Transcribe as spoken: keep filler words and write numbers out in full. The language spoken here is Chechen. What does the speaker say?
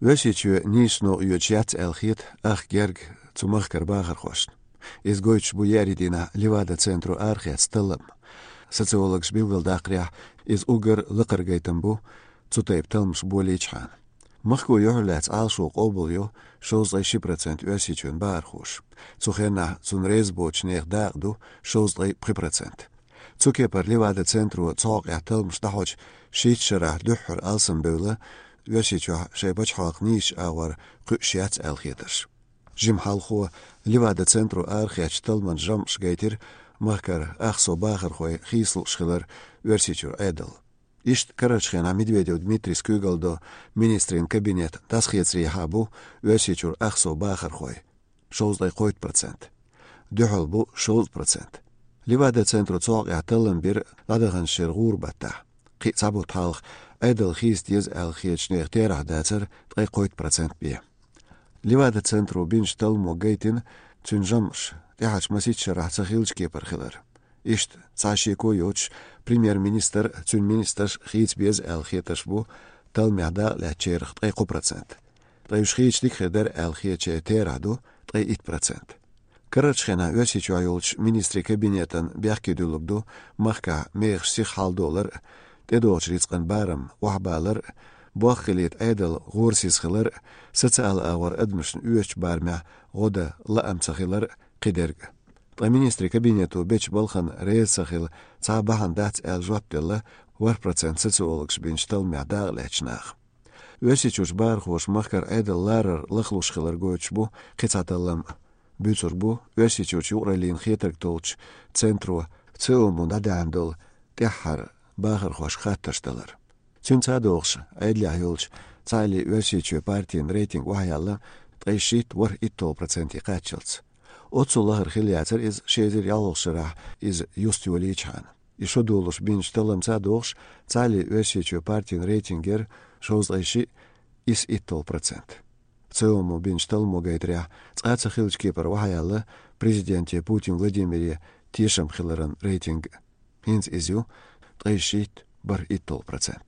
Оьрсийчоь нийсачу новкъа йоьдуш яц аьлла хета ах герга цу махкара бахархошна. Иза гойтуш бу еарин дийнахь Левада-центро арахецна таллам. Социологаша билгалдаккхарехь, иза уггар лакхара гайтам бу цу тайпа талламаш болийчхьана. Махко юьхьарлаьцна Ӏалашо къобалйо шовзткъе ши процент Оьрсийчоьнан бахархоша. Цу хеннахь цунна реза боцучу нехан дакъа ду шовзткъе пхи процент. Цу кепара Левада-центро цу хьокъехь талламаш дӀахьочу шийтта шарахь дуьххьара алсамбевлла Оьрсийчохь шайн пачхьалкх нийсачу агӀор кхуьуш яц аьлла хетарш. Жимма хьалхо Левада-центро арахецначу талламан жамӀаша гайтира махкара ах сов бахархой хийцалуш хилар Оьрсийчуьра Ӏедал. Иштта карарчу хенахь Медведев Дмитрийс куьйгалла до министрийн кабинет дӀасахецарехьа бу Оьрсийчуьра ах сов бахархой, шовзткъе кхойтта процент. Дуьхьал бу шовзткъа процент. Левада-центро цу хьокъехь таллам бира дӀадаханчу шеран гӀуран баттахь. Кхин а цхьа бутт хьалха Ӏедал хийца деза аьлла хетачу нехан терахь дацара ткъе кхойтта процент бен. Левада-центро бинчу талламо гайтина цуьнан жамӀаш тӀаьхьарчу масийтта шарахь ца хиллачу кепара хилар. Иштта, цхьа шеко йоцуш, премьер-министр а, цуьнан министрш а хийца беза аьлла хетарш бу талламехь дакъалаьцначарах ткъе кхо процент. Ткъа уьш хийца дика хир дара аьлла хетачеран терахь ду ткъе итт процент. Карарчу хенахь Оьрсийчохь йолчу министрийн кабинетан бехке дуьллург ду махкахь мехаш сиха хьалдолар а, тӀедогӀучу рицкъан барам охьабалар а, боххилийта Ӏедал гӀорасиз хилар а, социалан агӀор адамашна оьшучу барамехь гӀо дан лаам ца хилар а, кхидерг а. Ткъа министрийн кабинето бечу балхана реза ца хила цхьа а бахьана дац аьлла жоп делла ворхӀ процент социологаша бинчу талламехь дакъалаьцначу наха. Оьрсийчуьрчу бахархоша махкара Ӏедал ларар лахлуш хилар гойтуш бу кхин цхьа таллам а. Буьйцург бу Оьрсийчуьрчу юкъараллин хетарг толлучу центро ЦИОМ-о дӀадаьхьна долу тӀаьххьара бахархошка хаттарш далар. Цуьнца а догӀуш, Ӏедалехь йолчу Цхьааллин Оьрсийчоь партин рейтинг охьаяьлла ткъе шийтта ворхӀ итталгӀа проценте кхаччалц. Оццул лахара хилла яцара иза ши эзар ялхолгӀачу шарахь иза юста йолийчхьана. И шо долуш бинчу талламца а догӀуш, Цхьааллин Оьрсийчоь партин рейтинг яра шовзткъе шиъ исс итталгӀа процент. ЦИОМ-о бинчу талламо гайтарехь, цкъа а ца хиллачу кепара охьаяьлла президенте Путин Владимире тешам хиларан рейтинг. ХӀинца иза ю ткъе шийтта бархӀ итталгӀа процент.